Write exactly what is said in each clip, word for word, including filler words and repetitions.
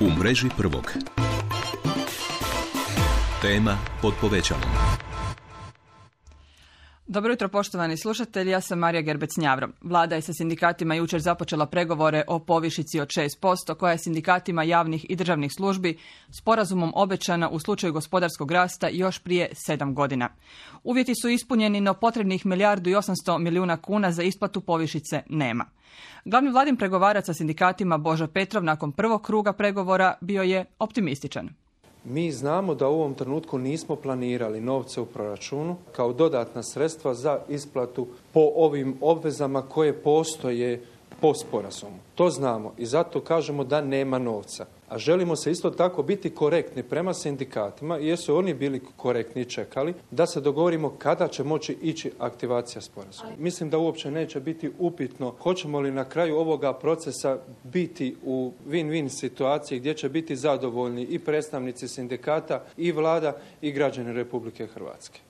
U mreži prvog. Tema pod povećalom. Dobro jutro, poštovani slušatelji, ja sam Marija Gerbec-Njavro. Vlada je sa sindikatima jučer započela pregovore o povišici od šest posto koja je sindikatima javnih i državnih službi sporazumom obećana u slučaju gospodarskog rasta još prije sedam godina. Uvjeti su ispunjeni, no potrebnih milijardu i osamsto milijuna kuna za isplatu povišice nema. Glavni vladin pregovarac sa sindikatima Božo Petrov nakon prvog kruga pregovora bio je optimističan. Mi znamo da u ovom trenutku nismo planirali novce u proračunu kao dodatna sredstva za isplatu po ovim obvezama koje postoje po sporazumu. To znamo i zato kažemo da nema novca. A želimo se isto tako biti korektni prema sindikatima, jer su oni bili korektni i čekali da se dogovorimo kada će moći ići aktivacija sporazuma. Mislim da uopće neće biti upitno hoćemo li na kraju ovoga procesa biti u win-win situaciji gdje će biti zadovoljni i predstavnici sindikata i vlada i građani Republike Hrvatske.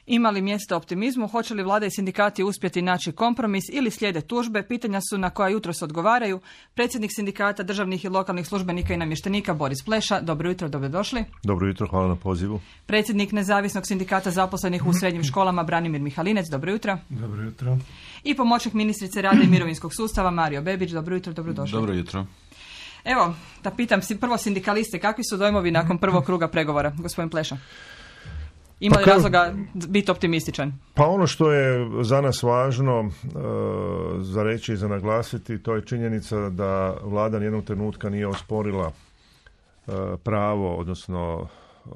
Ima li mjesta optimizmu, hoće li vlada i sindikati uspjeti naći kompromis ili slijede tužbe, pitanja su na koja jutros odgovaraju predsjednik sindikata državnih i lokalnih službenika i namještenika Boris Pleša. Dobro jutro, dobrodošli. Dobro jutro, hvala na pozivu. Predsjednik nezavisnog sindikata zaposlenih u srednjim školama Branimir Mihalinec. Dobro jutro. Dobro jutro. I pomoćnik ministrice rada i mirovinskog sustava Mario Bebić. Dobro jutro, dobrodošli. Dobro jutro. Evo, da pitam si prvo sindikaliste, kakvi su dojmovi nakon prvog kruga pregovora, gospodin Pleša? Ima li pa razloga biti optimističan? Pa ono što je za nas važno e, za reći i za naglasiti, to je činjenica da vlada nijednog trenutka nije osporila e, pravo, odnosno e,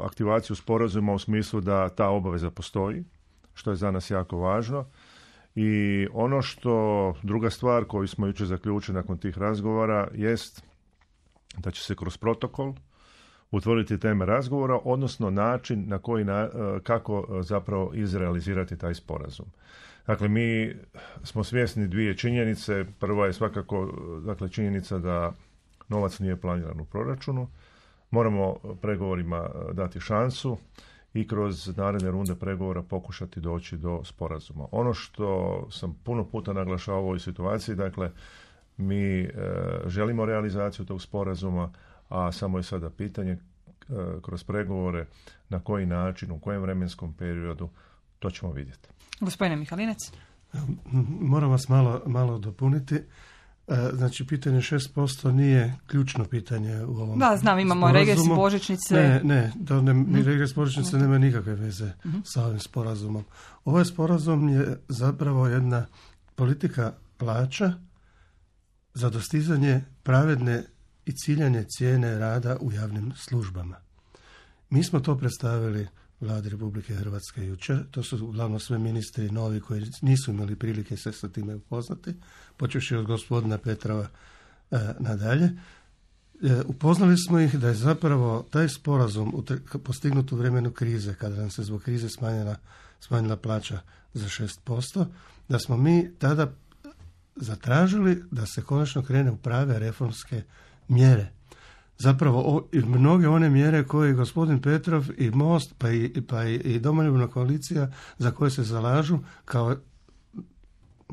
aktivaciju sporazuma u smislu da ta obaveza postoji, što je za nas jako važno. I ono što, druga stvar koju smo jučer zaključili nakon tih razgovora jest da će se kroz protokol utvrditi teme razgovora, odnosno način na koji na, kako zapravo izrealizirati taj sporazum. Dakle, mi smo svjesni dvije činjenice. Prva je svakako dakle, činjenica da novac nije planiran u proračunu. Moramo pregovorima dati šansu i kroz naredne runde pregovora pokušati doći do sporazuma. Ono što sam puno puta naglašavao u ovoj situaciji, dakle, mi e, želimo realizaciju tog sporazuma, a samo je sada pitanje e, kroz pregovore na koji način, u kojem vremenskom periodu, to ćemo vidjeti. Gospodine Mihalinec. Moram vas malo, malo dopuniti. E, znači, pitanje šest posto nije ključno pitanje u ovom Da, znam, imamo sporazumu. Regres božićnice. Ne, ne, da ne mi regres božićnice nema nikakve veze uh-huh. sa ovim sporazumom. Ovaj sporazum je zapravo jedna politika plaća za dostizanje pravedne i ciljanje cijene rada u javnim službama. Mi smo to predstavili Vladi Republike Hrvatske jučer. To su uglavnom sve ministri novi koji nisu imali prilike se sa time upoznati, počevši od gospodina Petrova e, nadalje. E, upoznali smo ih da je zapravo taj sporazum postignut u vremenu krize, kada nam se zbog krize smanjila, smanjila plaća za šest posto, da smo mi tada zatražili da se konačno krene u prave reformske mjere. Zapravo o, i mnoge one mjere koje gospodin Petrov i Most pa i, pa i, i Domoljubna koalicija za koje se zalažu kao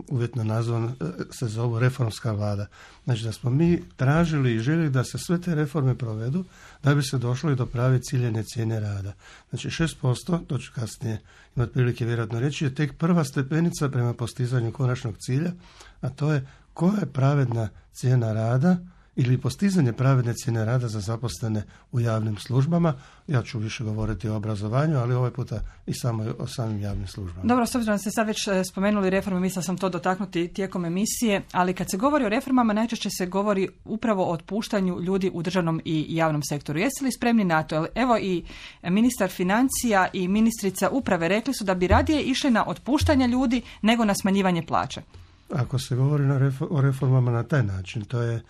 uvjetno nazvan se zovu reformska vlada. Znači da smo mi tražili i željeli da se sve te reforme provedu da bi se došlo i do prave ciljene cijene rada. Znači šest posto, to ću kasnije imati prilike vjerojatno reći, je tek prva stepenica prema postizanju konačnog cilja, a to je koja je pravedna cijena rada ili postizanje pravedne cijene rada za zaposlene u javnim službama. Ja ću više govoriti o obrazovanju, ali ovaj puta i samo o samim javnim službama. Dobro, s obzirom da ste sad već spomenuli reforme, mislila sam to dotaknuti tijekom emisije, ali kad se govori o reformama, najčešće se govori upravo o otpuštanju ljudi u državnom i javnom sektoru. Jeste li spremni na to? Evo i ministar financija i ministrica uprave rekli su da bi radije išli na otpuštanje ljudi nego na smanjivanje plaće. Ako se govori na refo- o reformama na taj način, to je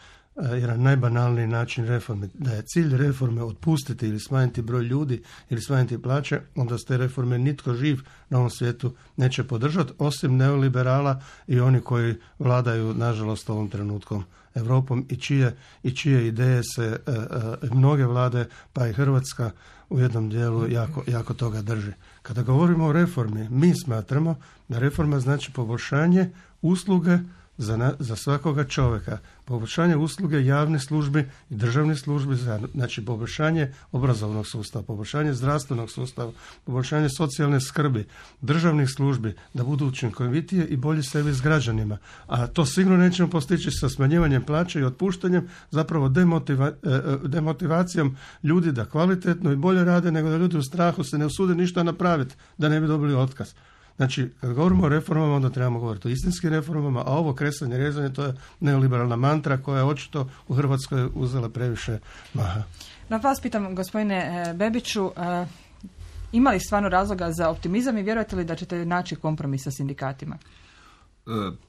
jedan najbanalniji način reforme. Da je cilj reforme otpustiti ili smanjiti broj ljudi ili smanjiti plaće, onda s te reforme nitko živ na ovom svijetu neće podržati, osim neoliberala i oni koji vladaju, nažalost, ovom trenutkom Europom i čije, i čije ideje se e, e, mnoge vlade, pa i Hrvatska u jednom dijelu jako, jako toga drži. Kada govorimo o reformi, mi smatramo da reforma znači poboljšanje usluge za, na, za svakoga čovjeka, poboljšanje usluge javne službe i državne službe, znači poboljšanje obrazovnog sustava, poboljšanje zdravstvenog sustava, poboljšanje socijalne skrbi, državnih službi, da budu učinkovitije i bolji servis građanima. A to sigurno nećemo postići sa smanjivanjem plaća i otpuštanjem, zapravo demotiva, demotivacijom ljudi da kvalitetno i bolje rade, nego da ljudi u strahu se ne usude ništa napraviti da ne bi dobili otkaz. Znači, kad govorimo o reformama, onda trebamo govoriti o istinskim reformama, a ovo kresanje, rezanje, to je neoliberalna mantra koja je očito u Hrvatskoj uzela previše maha. Na vas pitam, gospodine Bebiću, ima li stvarno razloga za optimizam i vjerujete li da ćete naći kompromis sa sindikatima?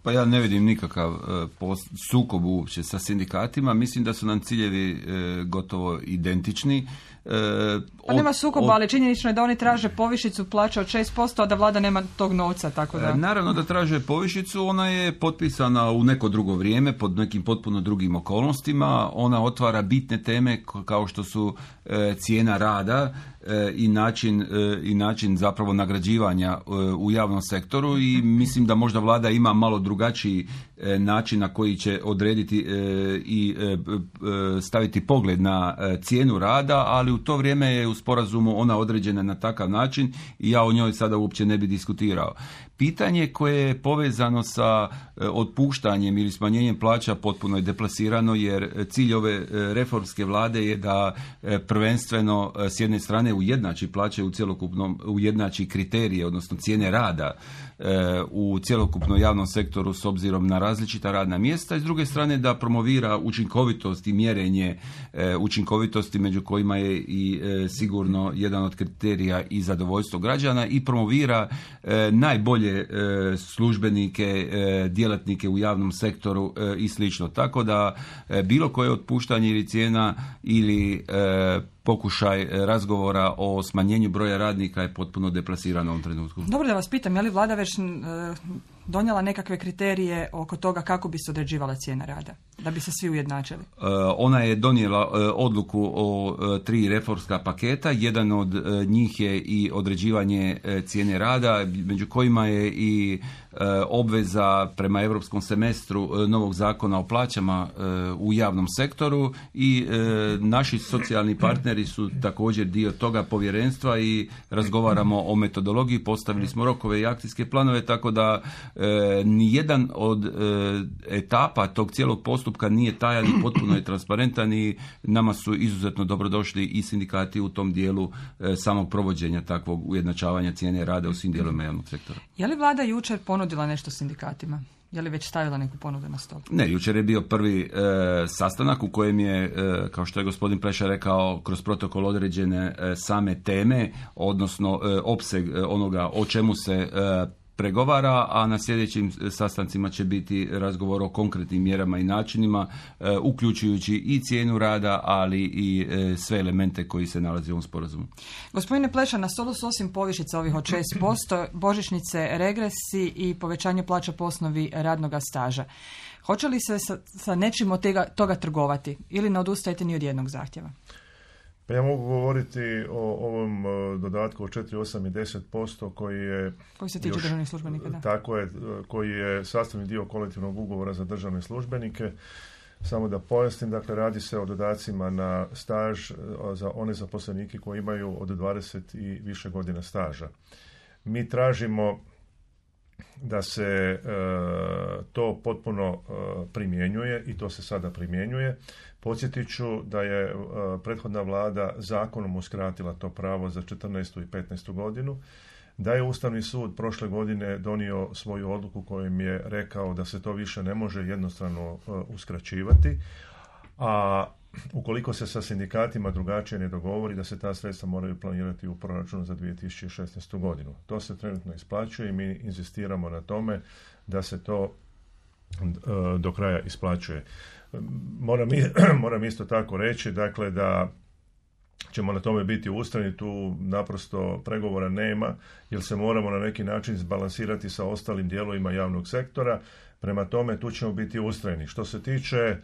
Pa ja ne vidim nikakav sukob uopće sa sindikatima. Mislim da su nam ciljevi gotovo identični. Pa nema sukoba, ali činjenično je da oni traže povišicu plaća od šest posto, a da vlada nema tog novca, tako da... Naravno da traže povišicu, ona je potpisana u neko drugo vrijeme, pod nekim potpuno drugim okolnostima. Ona otvara bitne teme kao što su cijena rada i način, i način zapravo nagrađivanja u javnom sektoru i mislim da možda vlada ima malo drugačiji način na koji će odrediti i staviti pogled na cijenu rada, ali u to vrijeme je u sporazumu ona određena na takav način i ja o njoj sada uopće ne bi diskutirao. Pitanje koje je povezano sa otpuštanjem ili smanjenjem plaća potpuno je deplasirano, jer cilj ove reformske vlade je da prvenstveno s jedne strane ujednači plaće u cjelokupnom, ujednači kriterije, odnosno cijene rada u cjelokupnom javnom sektoru s obzirom na različita radna mjesta i s druge strane da promovira učinkovitost i mjerenje učinkovitosti među kojima je i sigurno jedan od kriterija i zadovoljstvo građana i promovira najbolje službenike, djelatnike u javnom sektoru i slično. Tako da bilo koje otpuštanje ili cijena ili pokušaj razgovora o smanjenju broja radnika je potpuno deplasirano u ovom trenutku. Dobro da vas pitam, je li vlada već donijela nekakve kriterije oko toga kako bi se određivala cijena rada, da bi se svi ujednačili? Ona je donijela odluku o tri reformska paketa. Jedan od njih je i određivanje cijene rada, među kojima je i obveza prema europskom semestru novog zakona o plaćama u javnom sektoru i naši socijalni partneri su također dio toga povjerenstva i razgovaramo o metodologiji, postavili smo rokove i akcijske planove, tako da E, nijedan od e, etapa tog cijelog postupka nije tajan i potpuno je transparentan i nama su izuzetno dobrodošli i sindikati u tom dijelu e, samog provođenja takvog ujednačavanja cijene rada u svim dijelovima javnog sektora. Je li vlada jučer ponudila nešto sindikatima? Je li već stavila neku ponudu na stol? Ne, jučer je bio prvi e, sastanak u kojem je, e, kao što je gospodin Pleša rekao, kroz protokol određene e, same teme, odnosno e, opseg e, onoga o čemu se e, pregovara, a na sljedećim sastancima će biti razgovor o konkretnim mjerama i načinima, e, uključujući i cijenu rada, ali i e, sve elemente koji se nalaze u ovom sporazumu. Gospodine Pleša, na stolu su osim povišica ovih od šest posto, božićnice, regresi i povećanje plaća po osnovi radnoga staža. Hoće li se sa, sa nečim od tega, toga trgovati ili ne odustajete ni od jednog zahtjeva? Pa ja mogu govoriti o ovom dodatku od četiri, osam i deset posto koji je... Koji se tiče državnih službenika, da. Tako je, koji je sastavni dio kolektivnog ugovora za državne službenike. Samo da pojasnim, dakle, radi se o dodacima na staž za one zaposlenike koji imaju od dvadeset i više godina staža. Mi tražimo da se e, to potpuno e, primjenjuje i to se sada primjenjuje. Podsjetit ću da je e, prethodna vlada zakonom uskratila to pravo za četrnaestu i petnaestu godinu, da je Ustavni sud prošle godine donio svoju odluku kojom je rekao da se to više ne može jednostrano e, uskraćivati, a ukoliko se sa sindikatima drugačije ne dogovori, da se ta sredstva moraju planirati u proračunu za dvije tisuće šesnaestu godinu. To se trenutno isplaćuje i mi inzistiramo na tome da se to uh, do kraja isplaćuje. Moram, moram isto tako reći, dakle, da ćemo na tome biti ustrajni, tu naprosto pregovora nema, jer se moramo na neki način zbalansirati sa ostalim dijelovima javnog sektora. Prema tome, tu ćemo biti ustrajni. Što se tiče e,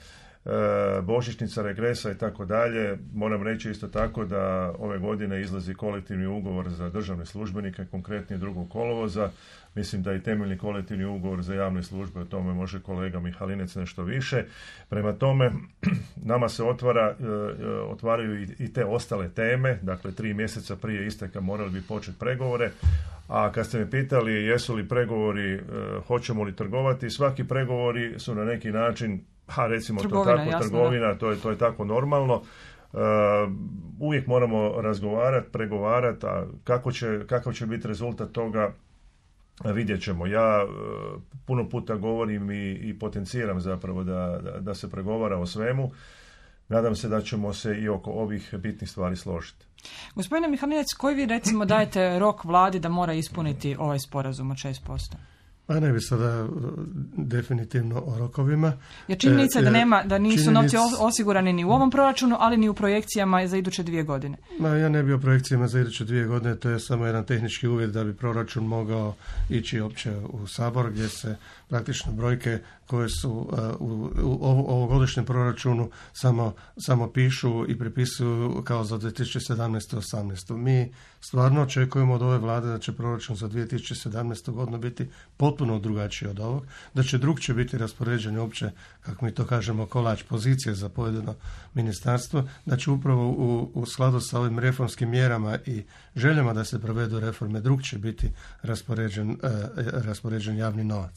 božićnica, regresa i tako dalje, moram reći isto tako da ove godine izlazi kolektivni ugovor za državne službenike, konkretnije drugog kolovoza. Mislim da i temeljni kolektivni ugovor za javne službe, o tome može kolega Mihalinec nešto više. Prema tome, nama se otvara, e, otvaraju i, i te ostale teme, dakle tri mjeseca prije isteka morali bi početi pregovore. A kad ste me pitali jesu li pregovori, e, hoćemo li trgovati, svaki pregovori su na neki način, ha recimo trgovina, to tako, jasno, trgovina, to je, to je tako normalno. Uh, uvijek moramo razgovarati, pregovarati, a kako će, kakav će biti rezultat toga, vidjet ćemo. Ja uh, puno puta govorim i, i potenciram zapravo da, da, da se pregovara o svemu. Nadam se da ćemo se i oko ovih bitnih stvari složiti. Gospodine Mihalinec, koji vi recimo dajete rok vladi da mora ispuniti ovaj sporazum od šest posto? Pa ne bi sada definitivno o rokovima. Jer činjenica je da, nema, da nisu činjenic... novci osigurani ni u ovom proračunu, ali ni u projekcijama za iduće dvije godine. Ma, ja ne bi o projekcijama za iduće dvije godine, to je samo jedan tehnički uvjet da bi proračun mogao ići opće u Sabor, gdje se praktično brojke koje su uh, u, u ovogodišnjem proračunu samo, samo pišu i pripisuju kao za dvije tisuće sedamnaestu. osamnaestu. Mi stvarno očekujemo od ove vlade da će proračun za dvije tisuće sedamnaestu. godinu biti potpuno drugačiji od ovog, da će drugčije biti raspoređen uopće, kako mi to kažemo, kolač pozicije za pojedino ministarstvo, da će upravo u, u skladu sa ovim reformskim mjerama i željama da se provedu reforme drugčije biti raspoređen, uh, raspoređen javni novac.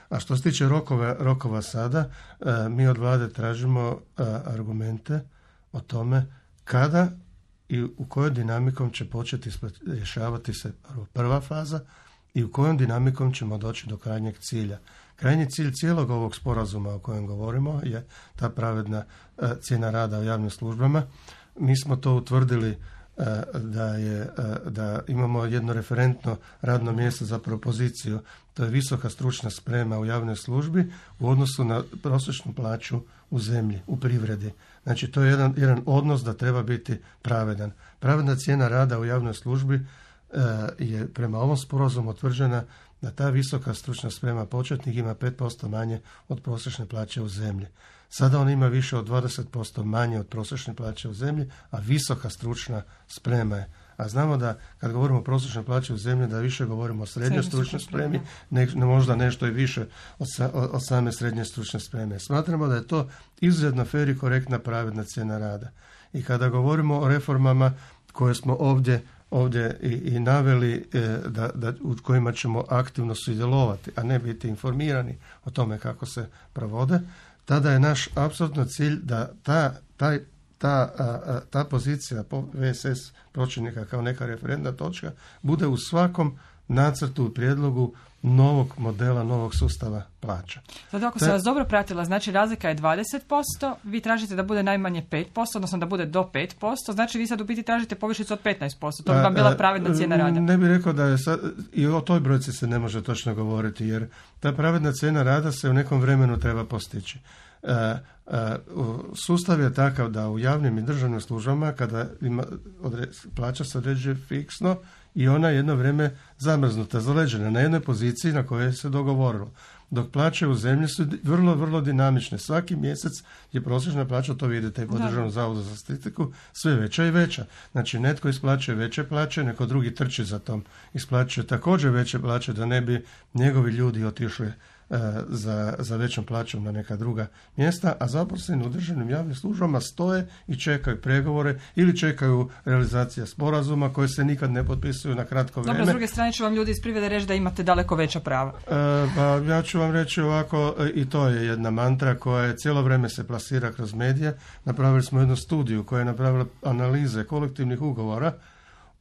A što se tiče rokova, rokova sada, e, mi od vlade tražimo e, argumente o tome kada i u kojoj dinamikom će početi rješavati se prva faza i u kojom dinamikom ćemo doći do krajnjeg cilja. Krajnji cilj cijelog ovog sporazuma o kojem govorimo je ta pravedna e, cijena rada u javnim službama. Mi smo to utvrdili da, je, da imamo jedno referentno radno mjesto za propoziciju, to je visoka stručna sprema u javnoj službi u odnosu na prosječnu plaću u zemlji, u privredi. Znači to je jedan, jedan odnos da treba biti pravedan. Pravedna cijena rada u javnoj službi je prema ovom sporazumu utvrđena da ta visoka stručna sprema početnik ima pet posto manje od prosječne plaće u zemlji. Sada on ima više od dvadeset posto manje od prosječne plaće u zemlji, a visoka stručna sprema je. A znamo da kad govorimo o prosječnoj plaći u zemlji, da više govorimo o srednjoj stručnoj spremi, ne, možda nešto i više od, od same srednje stručne spreme. Smatramo da je to izuzetno fer i korektna pravedna cijena rada. I kada govorimo o reformama koje smo ovdje ovdje i, i naveli e, da, da, u kojima ćemo aktivno sudjelovati, a ne biti informirani o tome kako se provode, tada je naš apsolutno cilj da ta, taj, ta, a, ta pozicija V S S pročelnika kao neka referentna točka bude u svakom nacrtu i prijedlogu novog modela, novog sustava plaća. Zato ako sam vas dobro pratila, znači razlika je dvadeset posto, vi tražite da bude najmanje pet posto, odnosno da bude do pet posto, znači vi sad u biti tražite povišicu od petnaest posto, to bi vam bila pravedna cijena rada. Ne bih rekao da je sad, i o toj brojci se ne može točno govoriti, jer ta pravedna cijena rada se u nekom vremenu treba postići. Uh, uh, sustav je takav da u javnim i državnim službama kada ima, odre, plaća se određuje fiksno i ona je jedno vrijeme zamrznuta, zaleđena na jednoj poziciji na kojoj se dogovorilo. Dok plaće u zemlji su vrlo, vrlo dinamične. Svaki mjesec je prosječna plaća, to vidite i po Državnom zavodu za statistiku, sve veća i veća. Znači netko isplaćuje veće plaće, neko drugi trči za tom, isplaćuje također veće plaće da ne bi njegovi ljudi otišli Za, za većom plaćom na neka druga mjesta, a zaposleni u državnim javnim službama stoje i čekaju pregovore ili čekaju realizacija sporazuma koje se nikad ne potpisuju na kratko vrijeme. Dobro, s druge strane ću vam ljudi iz privrede reći da imate daleko veća prava. E, pa ja ću vam reći ovako, i to je jedna mantra koja je cijelo vrijeme se plasira kroz medije. Napravili smo jednu studiju koja je napravila analize kolektivnih ugovora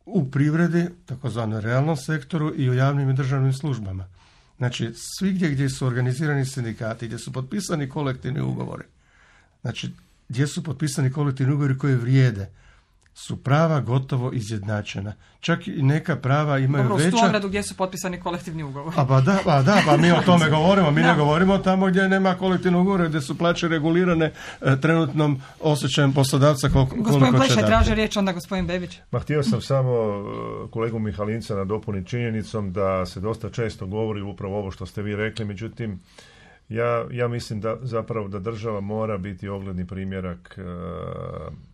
u privredi, takozvanom realnom sektoru i u javnim i državnim službama. Znači, svigdje gdje su organizirani sindikati, gdje su potpisani kolektivni ugovori, znači, gdje su potpisani kolektivni ugovori koji vrijede, su prava gotovo izjednačena. Čak i neka prava imaju Dobro, veća... Dobro, u Stuamradu gdje su potpisani kolektivni ugovori. A pa da, pa da, pa mi o tome govorimo. Mi ne govorimo tamo gdje nema kolektivnog ugovora, gdje su plaće regulirane e, trenutnom osjećajem poslodavca koliko, koliko će dati. Gospodin Pleša traže riječ, onda gospodin Bebić. Ma htio sam samo kolegu Mihalinca nadopuniti činjenicom da se dosta često govori upravo ovo što ste vi rekli, međutim Ja, ja mislim da zapravo da država mora biti ogledni primjerak e,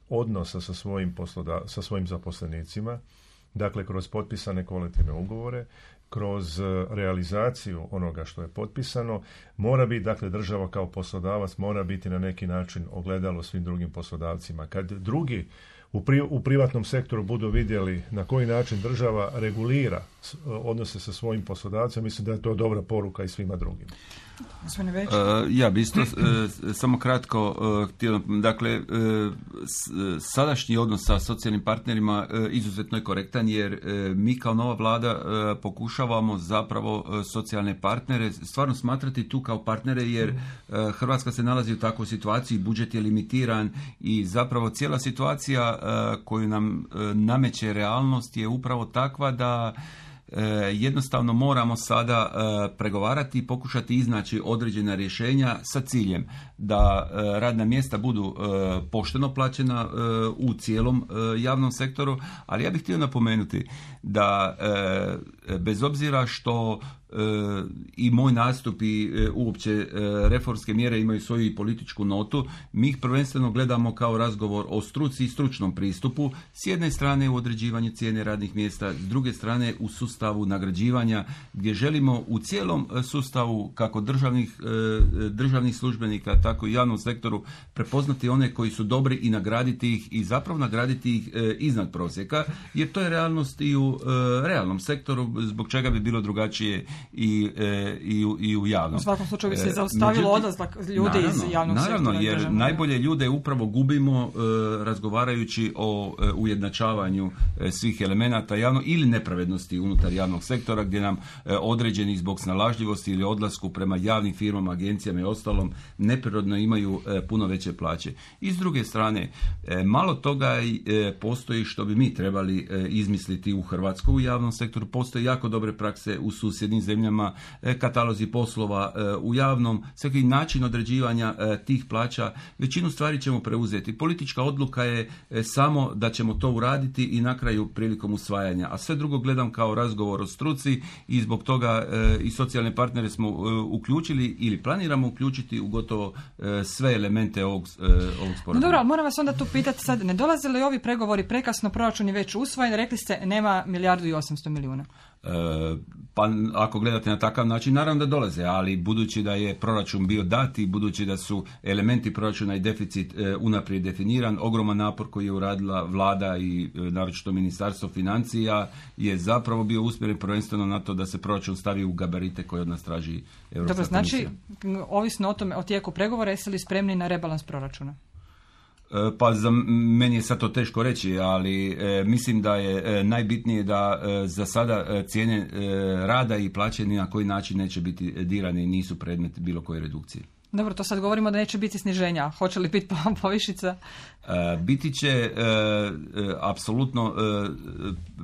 odnosa sa svojim, posloda, sa svojim zaposlenicima, dakle kroz potpisane kolektivne ugovore, kroz realizaciju onoga što je potpisano, mora biti, dakle, država kao poslodavac mora biti na neki način ogledalo svim drugim poslodavcima. Kad drugi u, pri, u privatnom sektoru budu vidjeli na koji način država regulira odnose sa svojim poslodavcem, mislim da je to dobra poruka i svima drugim. Uh, ja bi isto uh, samo kratko uh, htio, dakle uh, s, sadašnji odnos sa socijalnim partnerima uh, izuzetno je korektan, jer uh, mi kao nova vlada uh, pokušavamo zapravo uh, socijalne partnere stvarno smatrati tu kao partnere, jer uh, Hrvatska se nalazi u takvoj situaciji, budžet je limitiran i zapravo cijela situacija uh, koju nam uh, nameće realnost je upravo takva da E, jednostavno moramo sada e, pregovarati i pokušati iznaći određena rješenja sa ciljem da e, radna mjesta budu e, pošteno plaćena e, u cijelom e, javnom sektoru, ali ja bih htio napomenuti da e, bez obzira što e, i moj nastup i e, uopće e, reformske mjere imaju svoju i političku notu, mi ih prvenstveno gledamo kao razgovor o struci i stručnom pristupu, s jedne strane u određivanju cijene radnih mjesta, s druge strane u sustavu nagrađivanja, gdje želimo u cijelom sustavu kako državnih, e, državnih službenika, tako i javnom sektoru prepoznati one koji su dobri i nagraditi ih i zapravo nagraditi ih e, iznad prosjeka, jer to je realnost i u e, realnom sektoru, zbog čega bi bilo drugačije i, e, i, u, i u javnom. U svakom slučaju bi se zaustavilo odlazak ljudi naravno, iz javnog naravno, sektora. Jer najbolje ljude upravo gubimo e, razgovarajući o e, ujednačavanju e, svih elemenata javno ili nepravednosti unutar javnog sektora, gdje nam e, određeni zbog snalažljivosti ili odlasku prema javnim firmama, agencijama i ostalom neprirodno imaju e, puno veće plaće. I s druge strane, e, malo toga e, postoji što bi mi trebali e, izmisliti u Hrvatskoj u javnom sektoru. Postoje jako dobre prakse u susjednim zemljama, e, katalozi poslova e, u javnom, svaki način određivanja e, tih plaća. Većinu stvari ćemo preuzeti. Politička odluka je e, samo da ćemo to uraditi i na kraju prilikom usvajanja. A sve drugo gledam kao razgovor o struci i zbog toga e, i socijalne partnere smo e, uključili ili planiramo uključiti u gotovo e, sve elemente ovog, e, ovog sporazuma. No dobro, ali moram vas onda tu pitati sad, ne dolaze li ovi pregovori prekasno, proračun je već usvojen, rekli ste nema milijardu i osamsto milijuna. E, pa ako gledate na takav način, naravno da dolaze, ali budući da je proračun bio dat i budući da su elementi proračuna i deficit e, unaprijed definiran, ogroman napor koji je uradila vlada i e, naročito ministarstvo financija je zapravo bio usmjeren prvenstveno na to da se proračun stavi u gabarite koje od nas traži Europska Dobro, znači, komisija. ovisno o tome, o tijeku pregovora, jeste li spremni na rebalans proračuna? Pa za meni je sad to teško reći, ali e, mislim da je e, najbitnije da e, za sada e, cijene e, rada i plaće ni na koji način neće biti dirane i nisu predmet bilo koje redukcije. Dobro, to sad govorimo da neće biti sniženja. Hoće li biti povišica? E, biti će e, e, apsolutno e,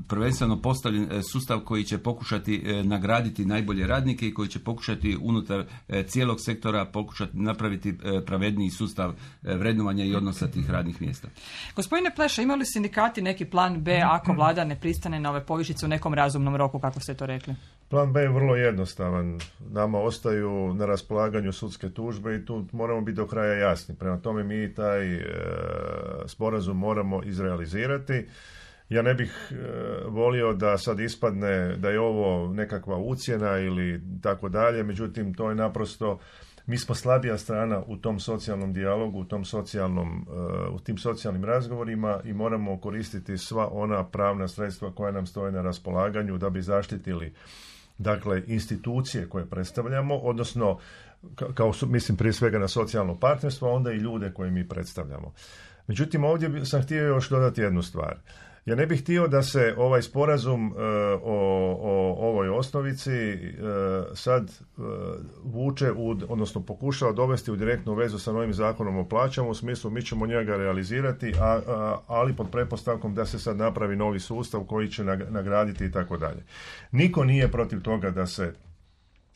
prvenstveno postavljen sustav koji će pokušati e, nagraditi najbolje radnike i koji će pokušati unutar e, cijelog sektora pokušati napraviti e, pravedniji sustav e, vrednovanja i odnosa tih radnih mjesta. Gospodine Pleša, imali li sindikati neki plan B ako vlada ne pristane na ove povišice u nekom razumnom roku, kako ste to rekli? Plan B je vrlo jednostavan. Nama ostaju na raspolaganju sudske tužbe i tu moramo biti do kraja jasni. Prema tome mi taj e, sporazum moramo izrealizirati. Ja ne bih e, volio da sad ispadne da je ovo nekakva ucjena ili tako dalje, međutim to je naprosto, mi smo slabija strana u tom socijalnom dijalogu, u tom socijalnom, e, u tim socijalnim razgovorima i moramo koristiti sva ona pravna sredstva koja nam stoje na raspolaganju da bi zaštitili, dakle, institucije koje predstavljamo, odnosno kao mislim prije svega na socijalno partnerstvo, a onda i ljude koje mi predstavljamo. Međutim, ovdje sam htio još dodati jednu stvar. Ja ne bih htio da se ovaj sporazum uh, o, o ovoj osnovici uh, sad uh, vuče, u, odnosno pokušava dovesti u direktnu vezu sa novim zakonom o plaćama, u smislu mi ćemo njega realizirati, a, a, ali pod pretpostavkom da se sad napravi novi sustav koji će nagraditi i tako dalje. Niko nije protiv toga da se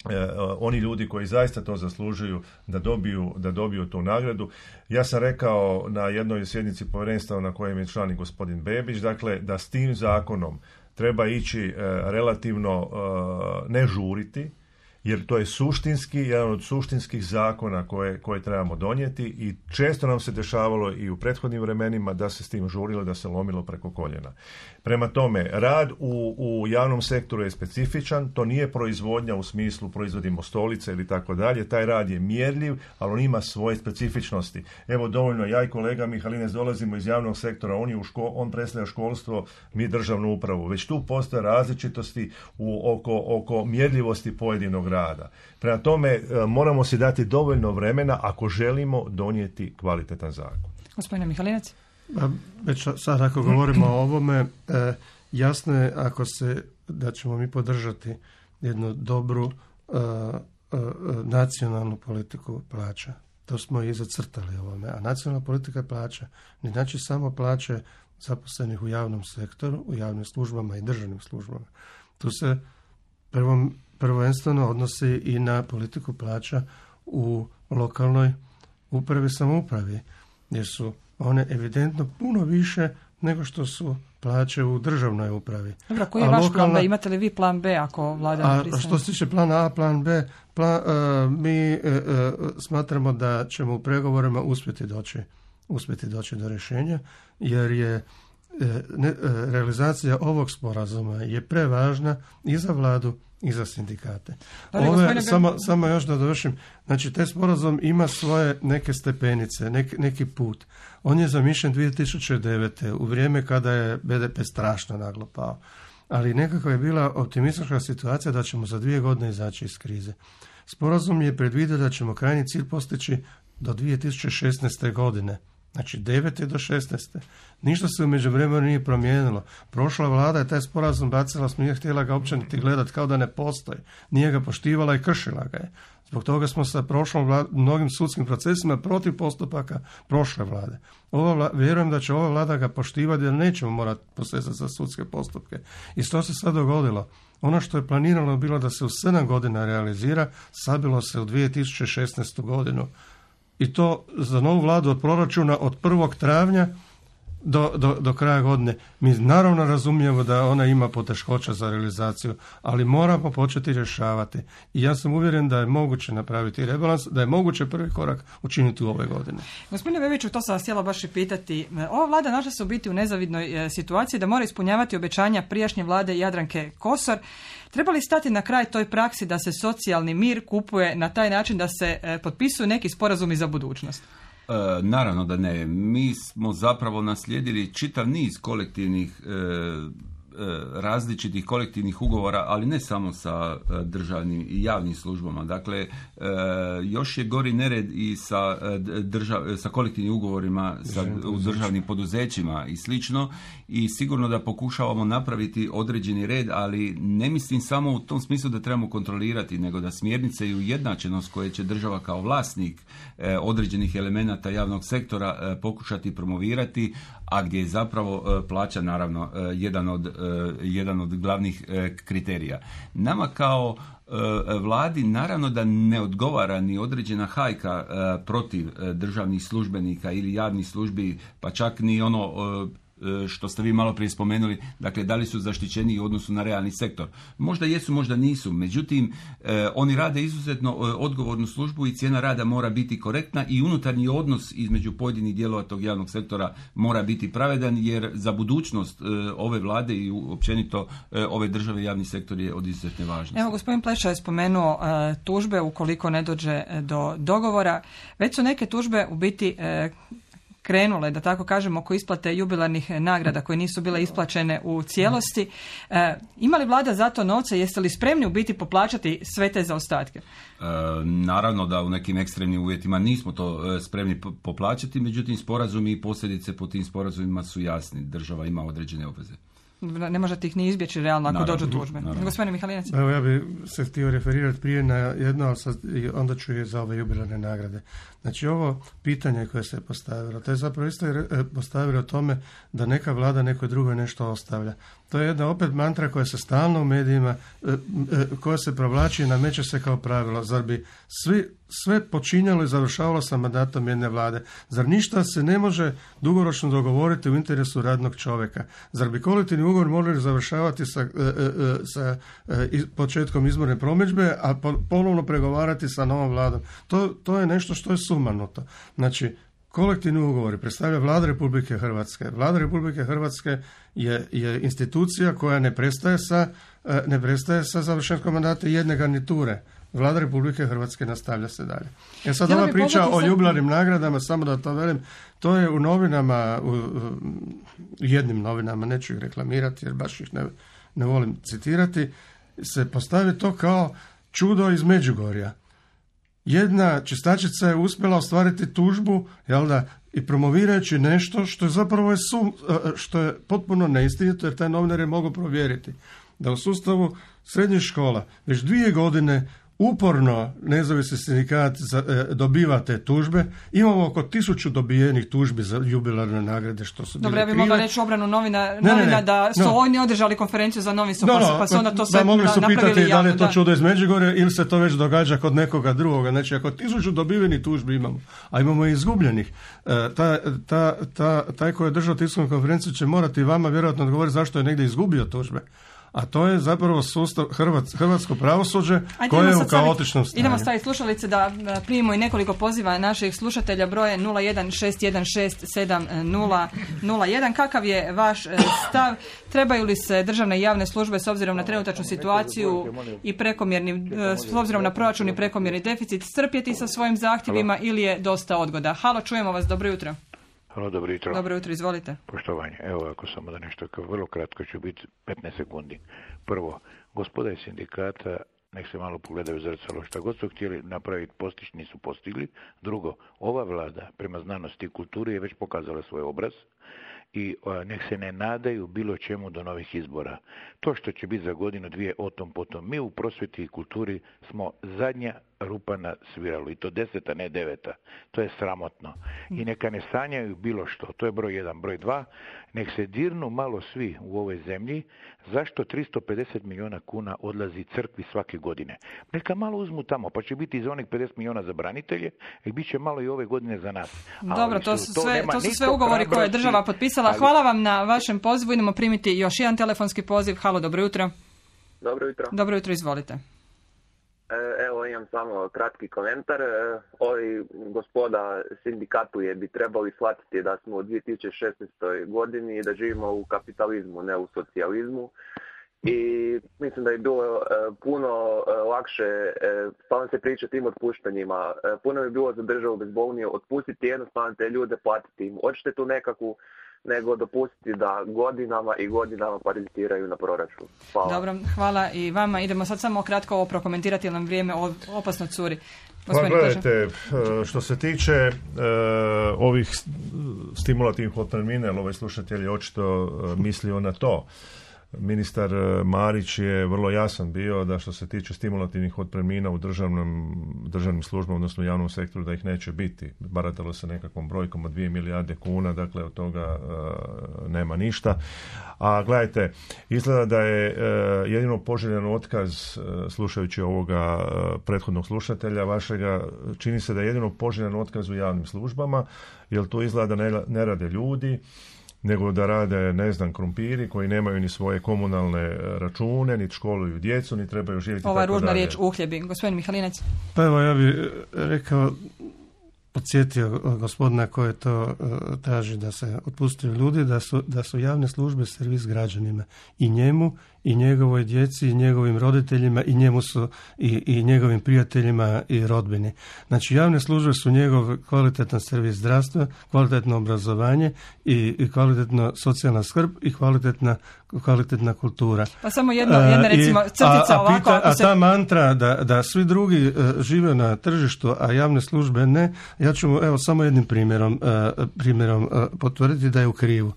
E, oni ljudi koji zaista to zaslužuju da dobiju, da dobiju tu nagradu. Ja sam rekao na jednoj sjednici povjerenstva na kojem je član i gospodin Bebić, dakle da s tim zakonom treba ići e, relativno e, ne žuriti, jer to je suštinski, jedan od suštinskih zakona koje, koje trebamo donijeti i često nam se dešavalo i u prethodnim vremenima da se s tim žurilo, da se lomilo preko koljena. Prema tome, rad u, u javnom sektoru je specifičan, to nije proizvodnja u smislu proizvodimo stolice ili tako dalje, taj rad je mjerljiv, ali on ima svoje specifičnosti. Evo dovoljno, ja i kolega Mihalinec dolazimo iz javnog sektora, on, je u ško, on predstavlja školstvo, mi državnu upravu. Već tu postoje različitosti u, oko, oko mjerljivosti pojedinog rada. Prema tome, moramo si dati dovoljno vremena ako želimo donijeti kvalitetan zakon. Gospodine Mihalinec? Već sad ako govorimo o ovome, e, jasno je ako se, da ćemo mi podržati jednu dobru e, e, nacionalnu politiku plaća. To smo i zacrtali ovome. A nacionalna politika plaća ne znači samo plaće zaposlenih u javnom sektoru, u javnim službama i državnim službama. Tu se prvom, prvenstveno odnosi i na politiku plaća u lokalnoj upravi i samoupravi, jer su one evidentno puno više nego što su plaće u državnoj upravi. Dobro, koji je a vaš lokalna... plan B? Imate li vi plan B ako vlada ne pristane? A što se tiče plana A, plan B, plan, uh, mi uh, uh, smatramo da ćemo u pregovorima uspjeti doći, uspjeti doći do rješenja, jer je uh, ne, uh, realizacija ovog sporazuma je prevažna i za vladu i za sindikate. Ali, Ove, gospodine... samo, samo još da dovršim. Znači, taj sporazum ima svoje neke stepenice, nek, neki put. On je zamišljen dvije tisuće devete. u vrijeme kada je be de pe strašno naglo pao. Ali nekako je bila optimistična situacija da ćemo za dvije godine izaći iz krize. Sporazum je predvidio da ćemo krajnji cilj postići do dvije tisuće šesnaeste. godine. Znači devete do šesnaeste. Ništa se u međuvremenu nije promijenilo. Prošla vlada je taj sporazum bacila, smo nije htjela ga uopće niti gledati kao da ne postoji. Nije ga poštivala i kršila ga je. Zbog toga smo sa prošlom vlad, mnogim sudskim procesima protiv postupaka prošle vlade. Ova vlada, vjerujem da će ova vlada ga poštivati jer nećemo morati posezati za sudske postupke. I što se sad dogodilo? Ono što je planirano bilo da se u sedam godina realizira, sabilo se u dvije tisuće šesnaestu. godinu. I to za novu vladu od proračuna od prvog travnja do, do, do kraja godine. Mi naravno razumijemo da ona ima poteškoća za realizaciju, ali moramo početi rješavati. I ja sam uvjeren da je moguće napraviti rebalans, da je moguće prvi korak učiniti u ove godine. Gospodine Bebiću, to sam vas htjela baš i pitati. Ova vlada našla se u biti u nezavidnoj situaciji da mora ispunjavati obećanja prijašnje vlade Jadranke Kosor. Treba li stati na kraj toj praksi da se socijalni mir kupuje na taj način da se e, potpisuju neki sporazumi za budućnost? E, naravno da ne. Mi smo zapravo naslijedili čitav niz kolektivnih e, različitih kolektivnih ugovora, ali ne samo sa državnim i javnim službama. Dakle, još je gori nered i sa, držav, sa kolektivnim ugovorima sa, u državnim poduzećima i slično, i sigurno da pokušavamo napraviti određeni red, ali ne mislim samo u tom smislu da trebamo kontrolirati, nego da smjernice i ujednačenost koje će država kao vlasnik određenih elemenata javnog sektora pokušati promovirati, a gdje je zapravo plaća naravno jedan od, jedan od glavnih kriterija. Nama kao vladi naravno da ne odgovara ni određena hajka protiv državnih službenika ili javnih službi, pa čak ni ono što ste vi malo prije spomenuli, dakle da li su zaštićeni u odnosu na realni sektor. Možda jesu, možda nisu, međutim eh, oni rade izuzetno eh, odgovornu službu i cijena rada mora biti korektna i unutarnji odnos između pojedinih dijelova tog javnog sektora mora biti pravedan, jer za budućnost eh, ove vlade i općenito eh, ove države javni sektor je od izuzetne važnosti. Evo, gospodin Pleša je spomenuo eh, tužbe ukoliko ne dođe do dogovora. Već su neke tužbe u biti eh, krenule, da tako kažemo, oko isplate jubilarnih nagrada koje nisu bile isplaćene u cijelosti. E, ima li vlada za to novce? Jeste li spremni u biti poplaćati sve te zaostatke? E, naravno da u nekim ekstremnim uvjetima nismo to spremni poplaćati, međutim sporazumi i posljedice po tim sporazumima su jasni. Država ima određene obveze. Ne možete ih ni izbjeći realno ako naravno, dođu tužbe. Gospodine Mihalinec. Evo, ja bih se htio referirati prije na jedno, ali sad, onda ću je za ove jubilarne nagrade. Znači ovo pitanje koje se postavilo, to je zapravo isto postavilo o tome da neka vlada nekoj drugoj nešto ostavlja. To je jedna opet mantra koja se stalno u medijima, koja se provlači i nameće se kao pravilo. Zar bi svi sve počinjalo i završavalo sa mandatom jedne vlade. Zar ništa se ne može dugoročno dogovoriti u interesu radnog čovjeka? Zar bi kolektivni ugovor morali završavati sa, sa početkom izborne promidžbe, a ponovno pregovarati sa novom vladom? To, to je nešto što je sumanuto. Znači, kolektivni ugovori predstavlja Vlada Republike Hrvatske. Vlada Republike Hrvatske je, je institucija koja ne prestaje sa, ne prestaje sa završetkom mandata jedne garniture. Vlada Republike Hrvatske nastavlja se dalje. Ja sad ova priča o jubilarnim nagradama, samo da to velim, to je u novinama, u jednim novinama, neću ih reklamirati jer baš ih ne, ne volim citirati, se postavi to kao čudo iz Međugorja. Jedna čistačica je uspjela ostvariti tužbu, jel da, i promovirajući nešto što je zapravo je sum, što je potpuno neistinito, jer taj novinar je mogao provjeriti da u sustavu srednjih škola već dvije godine uporno nezavisni sindikat dobiva te tužbe. Imamo oko tisuću dobijenih tužbi za jubilarne nagrade što su bile krive. Dobro, ja bih mogla reći obranu novina, novina ne, ne, ne, da su no. oni održali konferenciju za novinstvo, no, pa, pa su onda to sve napravili javno. Mogli su pitati da li je to da. čudo iz Međugorja ili se to već događa kod nekoga drugoga. Znači, ako tisuću dobivenih tužbi imamo, a imamo i izgubljenih, ta, ta, ta, taj koji je držao tiskovnu konferenciju će morati vama vjerojatno odgovoriti zašto je negdje izgubio tužbe. A to je zapravo sustav Hrvats, hrvatsko pravosuđe koje je u kaotičnom stanju. Idemo staviti slušalice da primimo i nekoliko poziva naših slušatelja, broje nula jedan šest jedan šest sedam nula nula jedan. Kakav je vaš stav? Trebaju li se državne i javne službe s obzirom na trenutačnu situaciju i prekomjerni, s obzirom na proračun i prekomjerni deficit strpjeti sa svojim zahtjevima Halo. ili je dosta odgoda? Halo, čujemo vas, dobro jutro. Halo, dobro jutro. Dobro jutro, izvolite. Poštovanje. Evo, ako samo da nešto, vrlo kratko ću biti petnaest sekundi. Prvo, gospoda iz sindikata, nek se malo pogledaju zrcalo. Šta god su htjeli napraviti, postići, nisu postigli. Drugo, ova vlada prema znanosti i kulturi je već pokazala svoj obraz i a, nek se ne nadaju bilo čemu do novih izbora. To što će biti za godinu, dvije, o tom potom. Mi u prosvjeti i kulturi smo zadnja rupa na sviralu i to deseta, ne deveta. To je sramotno. I neka ne sanjaju bilo što. To je broj jedan. Broj dva, nek se dirnu malo svi u ovoj zemlji zašto tristo pedeset milijuna kuna odlazi crkvi svake godine. Neka malo uzmu tamo, pa će biti za onih pedeset milijuna za branitelje i bit će malo i ove godine za nas. Dobro, to su, to sve, to su sve ugovori koje je država potpisala. Ali... Hvala vam na vašem pozivu. Idemo primiti još jedan telefonski poziv. Halo, dobro jutro. Dobro jutro. Dobro jutro, izvolite. Evo, imam samo kratki komentar. Ovi gospoda sindikatuje bi trebali shvatiti da smo u dvije tisuće šesnaestoj godini i da živimo u kapitalizmu, ne u socijalizmu. I mislim da je bilo e, puno e, lakše e, stalno se priča tim otpuštanjima. E, puno bi bilo za državu bezbolnije otpustiti jednostavno te ljude, platiti im odštetu nekakvu, nego dopustiti da godinama i godinama parazitiraju na proračun. Hvala. Dobro, hvala i vama. Idemo sad samo kratko ovo prokomentirati jer nam vrijeme opasno curi. Pa gledajte, što se tiče uh, ovih stimulativnih otpremnina, jer ovaj slušatelj je očito uh, mislio na to. Ministar Marić je vrlo jasan bio da što se tiče stimulativnih otpremnina u državnom, državnim službama, odnosno u javnom sektoru, da ih neće biti. Baratalo se nekakvom brojkom od dvije milijarde kuna, dakle od toga uh, nema ništa. A gledajte, izgleda da je uh, jedino poželjen otkaz, uh, slušajući ovoga uh, prethodnog slušatelja vašega, čini se da je jedino poželjen otkaz u javnim službama, jer tu izgleda da ne, ne rade ljudi, nego da rade, ne znam, krumpiri koji nemaju ni svoje komunalne račune, ni školuju djecu, ni trebaju živjeti tako dalje. Ova ružna riječ uhljebi. Gospodin Mihalinec. Pa evo, ja bih rekao, podsjetio gospodina koji to uh, traži da se otpustuju ljudi, da su, da su javne službe servis građanima. I njemu, i njegovoj djeci, i njegovim roditeljima, i njemu su i, i njegovim prijateljima i rodbini. Znači, javne službe su njegov kvalitetan servis zdravstva, kvalitetno obrazovanje i, i kvalitetno socijalna skrb i kvalitetna, kvalitetna kultura. Pa samo jedno, jedna recimo crtica a, a, ovako. Pita, a se... ta mantra da, da svi drugi uh, žive na tržištu, a javne službe ne, ja ću evo samo jednim primjerom, uh, primjerom uh, potvrditi da je u krivu.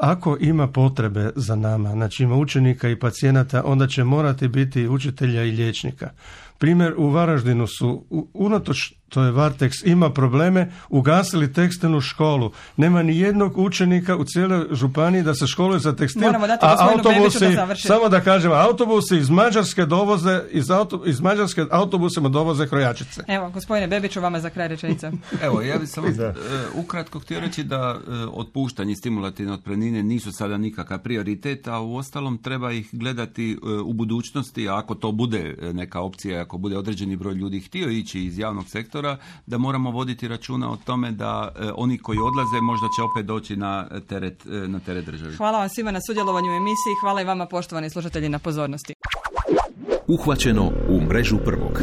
Ako ima potrebe za nama, znači ima učenika i pacijenata, onda će morati biti učitelja i liječnika. Primjer, u Varaždinu su unatoč to je Varteks, ima probleme, ugasili tekstilnu školu. Nema ni jednog učenika u cijeloj županiji da se školuje za tekstil, a autobusi, da samo da kažem, autobusi iz Mađarske dovoze, iz, auto, iz Mađarske autobusima dovoze krojačice. Evo, gospodine Bebiću, vama za kraj rečenica. Evo, ja bih samo uh, ukratko htio reći da uh, otpuštanje stimulativne otpremnine nisu sada nikakav prioritet, a u ostalom treba ih gledati uh, u budućnosti, a ako to bude neka opcija, ako bude određeni broj ljudi htio ići iz javnog sektora, da moramo voditi računa o tome da e, oni koji odlaze možda će opet doći na teret, e, na teret državi. Hvala vam svima na sudjelovanju u emisiji, hvala i vama poštovani slušatelji na pozornosti. Uhvaćeno u mrežu prvog.